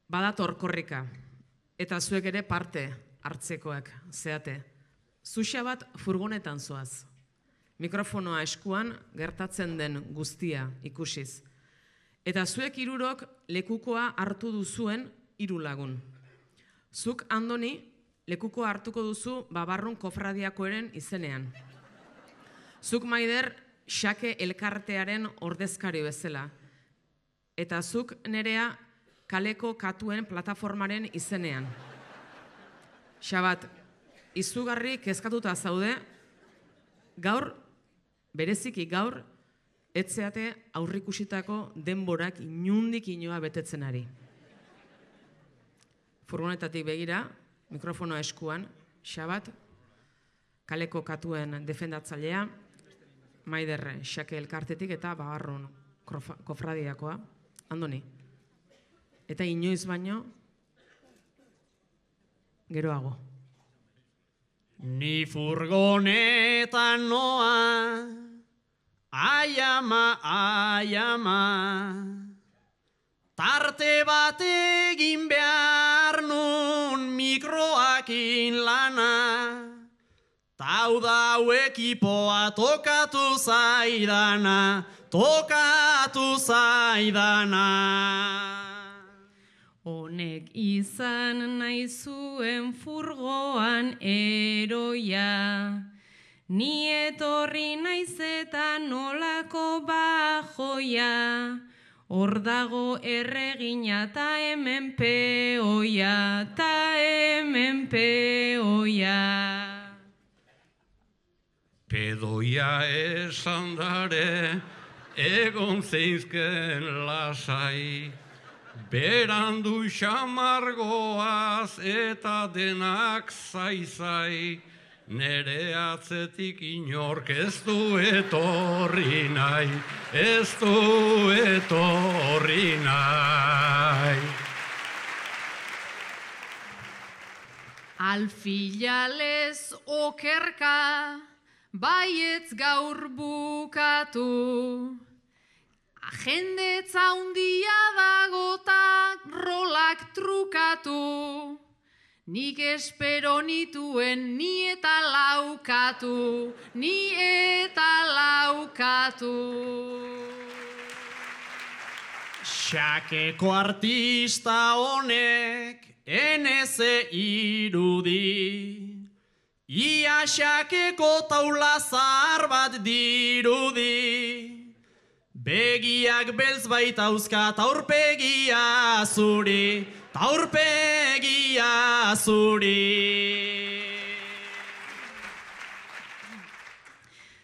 Badator korrika, eta zuek ere parte hartzekoak zeate. Zuxa bat furgonetan zoaz. Mikrofonoa eskuan gertatzen den guztia ikusiz. Eta zuek hirurok lekukoa hartu duzuen 3 lagun. Zuk, Andoni, lekukoa hartuko duzu Babarrun kofradiakoaren izenean. Zuk, Maider, Xake elkartearen ordezkari bezala. Eta zuk, Nerea, Kaleko Katuen plataformaren izenean. Xabat, izugarri kezkatuta zaude, gaur, bereziki gaur, etzeate aurrikusitako denborak inundik inoa betetzen ari. Furgonetatik begira, mikrofonoa eskuan, Xabat, Kaleko Katuen defendatzailea, Maider Xake elkartetik eta Babarrun kofradiakoa, Andoni. Eta inoiz baino, geroago. Ni furgonetan noa, ai ama, tarte bat egin behar nun mikroakin lana, tau dau ekipoa tokatu zaidana. Honek izan nahi zuen furgoan eroia, ni etorri naiz eta nolako bajoia, hor dago erregina ta hemen peoia, Pedoia esan dare, egon zeizken lasai, berandu xamargoaz eta denak zaizai, nere atzetik inork ez du etorri nahi, Alfilalez okerka, baietz gaur bukatu, jendetza handia dago ta rolak trukatu, nik espero nituen ni eta laukatu. Xakeko artista honek eneze irudi, ia xakeko taula zahar bat dirudi. Begiak beltz baitauzka taurpegia zuri.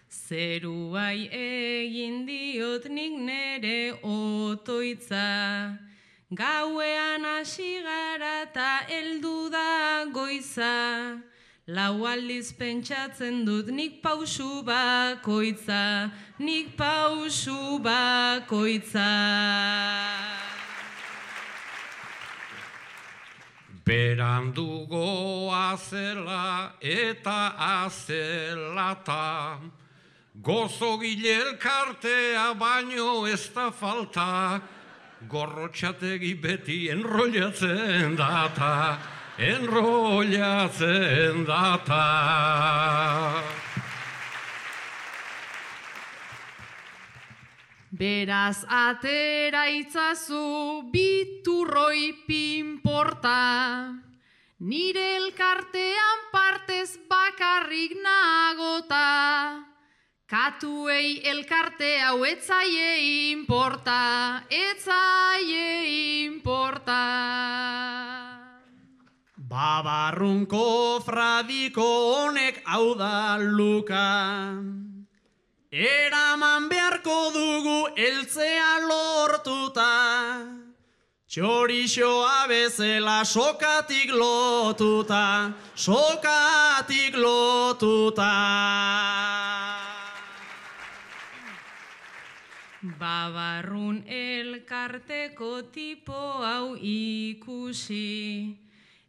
Zeruai egin diot nik nere otoitza, gauean hasi gara ta heldu da goiza, lau aldiz pentsatzen dut nik pausu bakoitza. Berandugo azela eta azelata, gozogile elkartea baino ez da falta, gorrotxategi beti enrollatzen data. Beraz atera itzazu biturroi pinporta, nire elkartean partez bakarrik nagota, katuei elkarte hau etzaie inporta. Babarrun kofradiko honek hau da luka, eraman beharko dugu eltzea lortuta, txorixoa bezela sokatik lotuta. Babarrun elkarteko tipo hau ikusi,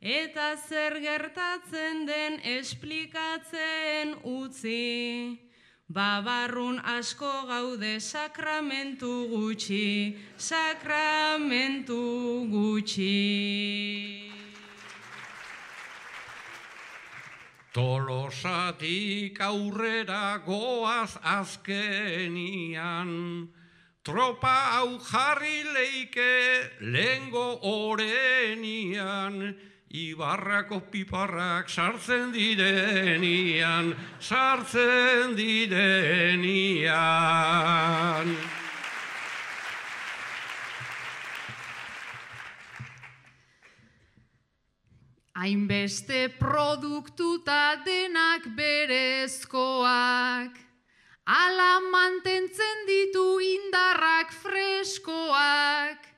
eta zer gertatzen den esplikatzen utzi. babarrun asko gaude sakramentu gutxi, sakramentu gutxi. Tolosatik aurrera goaz azkenian, tropa hau jarri leike lehengo orenian, Ibarrako piparrak sartzen direnian, sartzen direnian. Hainbeste produktuta denak berezkoak, ala mantentzen ditu indarrak freskoak,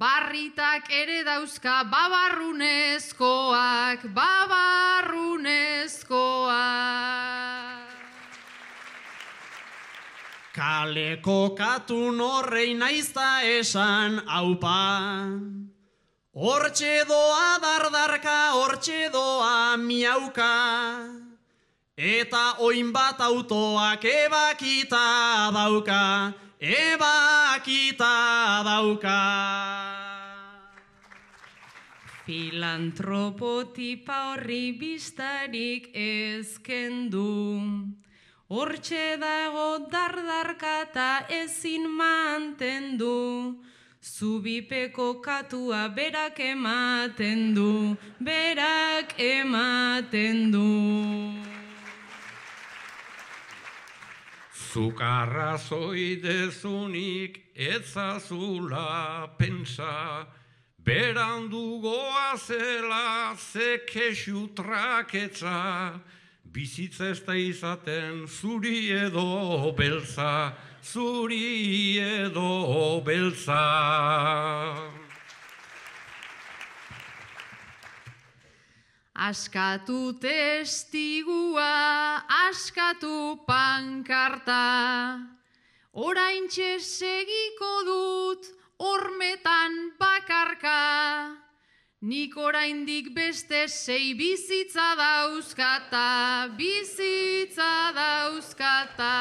barritak ere dauzka babarrunezkoak, babarrunezkoak. Kaleko katun horrei naizta esan aupa, hortxe doa dardarka, hortxe doa miauka, eta oin bat autoak ebakita dauka, ebakita dauka. Filantropo tipa horri bistarik ezkendu, hortxe dago dardarka eta ezin mantendu, zubipeko katua berak ematen du, berak ematen du. Zukarra zoidezunik etzazula pensa, berandu goazela ze kexu traketza, bizitza ez da izaten zuri edo beltza, zuri edo beltza. Askatu testigua, askatu pankarta, oraintxe segiko dut hormetan bakarka, nik oraindik beste 6 bizitza dauzkata, bizitza dauzkata.